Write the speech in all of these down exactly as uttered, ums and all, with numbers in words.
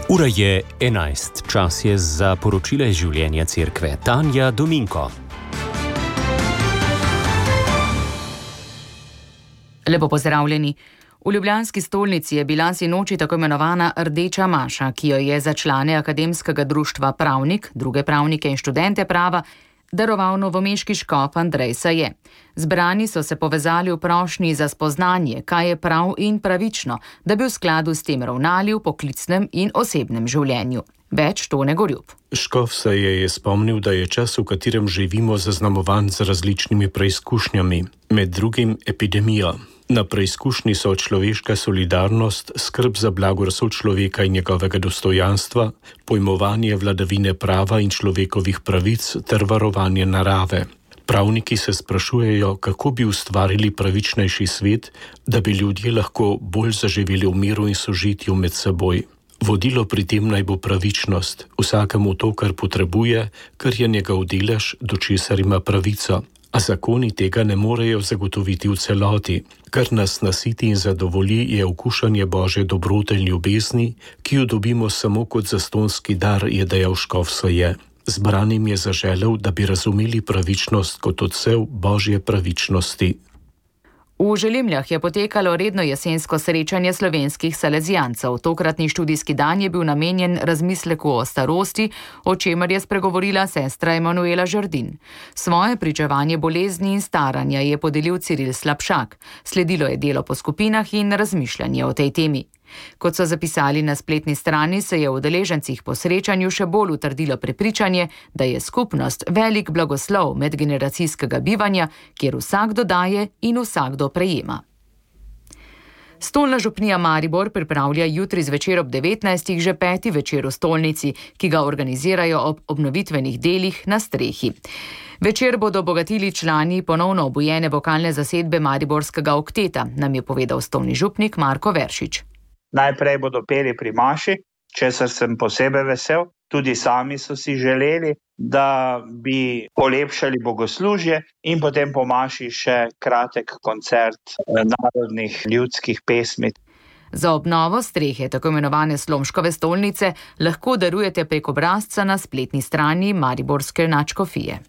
Ura je enajst, čas je za poročila iz življenja cerkve. Tanja Dominko. Lepo pozdravljeni. V ljubljanski stolnici je bila sinoči tako imenovana Rdeča maša, ki jo je za člane Akademskega društva Pravnik, druge pravnike in študente prava, daroval novomeški škof Andrej Saje. Zbrani so se povezali v prošnji za spoznanje, kaj je prav in pravično, da bi v skladu s tem ravnali v poklicnem in osebnem življenju. Več Tone Gorjup. Škof Saje je spomnil, da je čas, v katerem živimo, zaznamovan z različnimi preizkušnjami, med drugim epidemijo. Na preizkušnji so človeška solidarnost, skrb za blagor sočloveka in njegovega dostojanstva, pojmovanje vladavine prava in človekovih pravic ter varovanje narave. Pravniki se sprašujejo, kako bi ustvarili pravičnejši svet, da bi ljudje lahko bolj zaživeli v miru in sožitju med seboj. Vodilo pri tem naj bo pravičnost, vsakemu to, kar potrebuje, kar je njegov delež, do česar ima pravico. A zakoni tega ne morejo zagotoviti v celoti. Kar nas nasiti in zadovolji, je okušanje Božje dobrote in ljubezni, ki jo dobimo samo kot zastonski dar, je dejal škof Saje. Zbranim je zaželel, da bi razumeli pravičnost kot odsev Božje pravičnosti. V Želimljah je potekalo redno jesensko srečanje slovenskih salezijancev. Tokratni študijski dan je bil namenjen razmisleku o starosti, o čemer je spregovorila sestra Emanuela Žerdin. Svoje pričevanje bolezni in staranja je podelil Ciril Slapšak. Sledilo je delo po skupinah in razmišljanje o tej temi. Kot so zapisali na spletni strani, se je v udeležencih po srečanju še bolj utrdilo prepričanje, da je skupnost velik blagoslov medgeneracijskega bivanja, kjer vsakdo daje in vsakdo prejema. Stolna župnija Maribor pripravlja jutri zvečer ob devetnajstih že peti večer v stolnici, ki ga organizirajo ob obnovitvenih delih na strehi. Večer bodo obogatili člani ponovno obujene vokalne zasedbe Mariborskega okteta, nam je povedal stolni župnik Marko Veršič. Najprej bodo peli pri maši, česar sem posebej vesel. Tudi sami so si želeli, da bi polepšali bogoslužje in potem po maši še kratek koncert narodnih ljudskih pesmi. Za obnovo strehe tako imenovane Slomškove stolnice lahko darujete prek obrazca na spletni strani Mariborske nadškofije.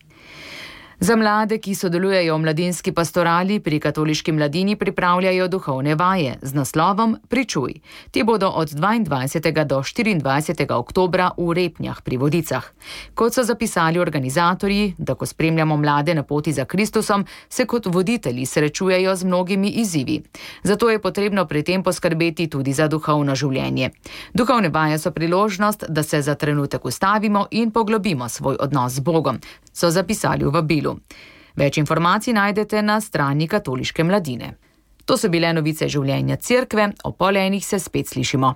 Za mlade, ki sodelujejo v mladinski pastorali, pri katoliški mladini pripravljajo duhovne vaje z naslovom Pričuj. Te bodo od dvaindvajsetega do štiriindvajsetega oktobra v Repnjah pri Vodicah. Kot so zapisali organizatorji, da ko spremljamo mlade na poti za Kristusom, se kot voditelji srečujejo z mnogimi izzivi. Zato je potrebno pri tem poskrbeti tudi za duhovno življenje. Duhovne vaje so priložnost, da se za trenutek ustavimo in poglobimo svoj odnos z Bogom, so zapisali v vabilu. Več informacij najdete na strani katoliške mladine. To so bile novice življenja cerkve, o pol enih se spet slišimo.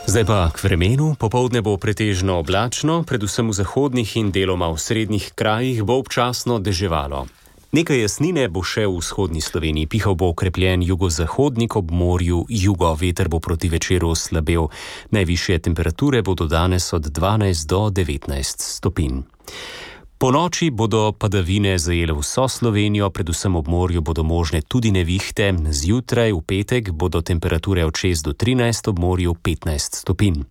Zdaj pa k vremenu. Popoldne bo pretežno oblačno, predvsem v zahodnih in deloma v srednjih krajih bo občasno deževalo. Nekaj jasnine bo še v vzhodni Sloveniji. Pihal bo okrepljen jugozahodnik, ob morju jugo, veter bo proti večeru slabel. Najvišje temperature bodo danes od dvanajst do devetnajst stopinj. Po noči bodo padavine zajele vso Slovenijo, predvsem ob morju bodo možne tudi nevihte. Zjutraj v petek bodo temperature od šest do trinajst, ob morju petnajst stopinj.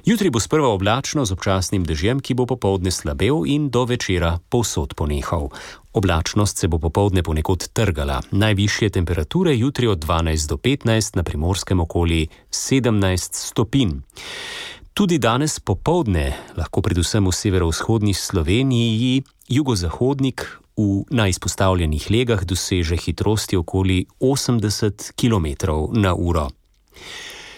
Jutri bo sprva oblačno z občasnim dežjem, ki bo popoldne slabel in do večera povsod ponehal. Oblačnost se bo popoldne ponekod trgala. Najvišje temperature jutri od dvanajst do petnajst, na Primorskem okoli sedemnajst stopinj. Tudi danes popoldne lahko predvsem v severovzhodni Sloveniji jugozahodnik v najizpostavljenih legah doseže hitrosti okoli osemdeset kilometrov na uro.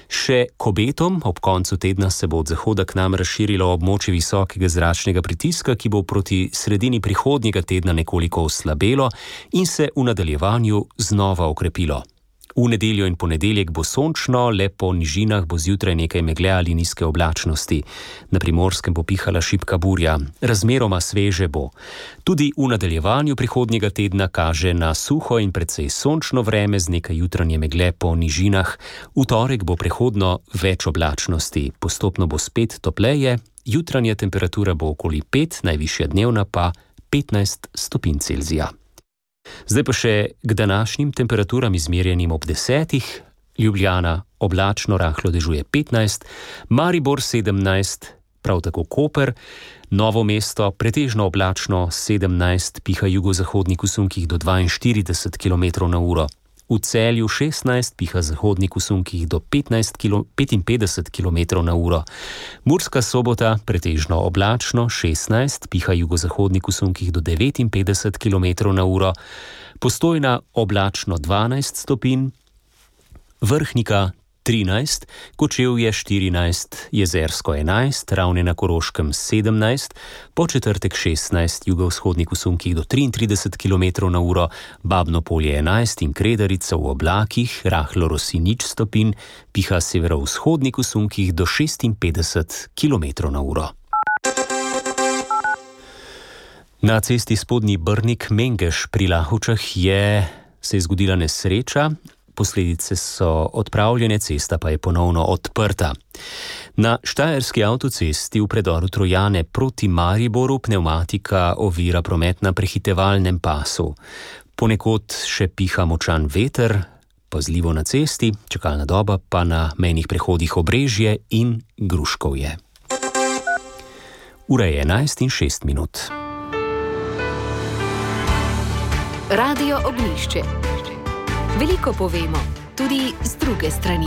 Še k obetom, ob koncu tedna se bo od zahoda k nam razširilo območje visokega zračnega pritiska, ki bo proti sredini prihodnjega tedna nekoliko oslabelo in se v nadaljevanju znova okrepilo. V nedeljo in ponedeljek bo sončno, le po nižinah bo zjutraj nekaj megle ali nizke oblačnosti. Na Primorskem bo pihala šibka burja, razmeroma sveže bo. Tudi v nadaljevanju prihodnjega tedna kaže na suho in precej sončno vreme z nekaj jutranje megle po nižinah. V torek bo prehodno več oblačnosti, postopno bo spet topleje, jutranja temperatura bo okoli pet, najvišja dnevna pa petnajst stopinj Celzija. Zdaj pa še k današnjim temperaturam izmerjenim ob desetih. Ljubljana oblačno, rahlo dežuje petnajst, Maribor sedemnajst, prav tako Koper, Novo mesto pretežno oblačno sedemnajst, piha jugozahodnik v sunkih do dvainštirideset kilometrov na uro. V Celju šestnajst, piha zahodnik v sunkih do petinpetdeset kilometrov na uro. Murska Sobota pretežno oblačno šestnajst, piha jugozahodnik v sunkih do devetinpetdeset kilometrov na uro. Postojna oblačno dvanajst stopinj, Vrhnika trinajst, Kočevje štirinajst, Jezersko enajst, Ravne na Koroškem sedemnajst, Podčetrtek šestnajst, jugovzhodnik v sunkih do triintrideset kilometrov na uro, Babno Polje enajst in Kredarica v oblakih, rahlo rosi nič stopinj, piha severovzhodnik v sunkih do šestinpetdeset kilometrov na uro. Na cesti Spodnji Brnik-Mengeš pri Lahovčah je se je zgodila nesreča. Posledice so odpravljene, cesta pa je ponovno odprta. Na štajerski avtocesti v predoru Trojane proti Mariboru pnevmatika ovira promet na prehitevalnem pasu. Ponekod še piha močan veter, pazljivo na cesti, čakalna doba pa na mejnih prehodih Obrežje in Gruškovje. Ura je enajst in šest minut. Radio Ognjišče. Veliko povemo, tudi z druge strani.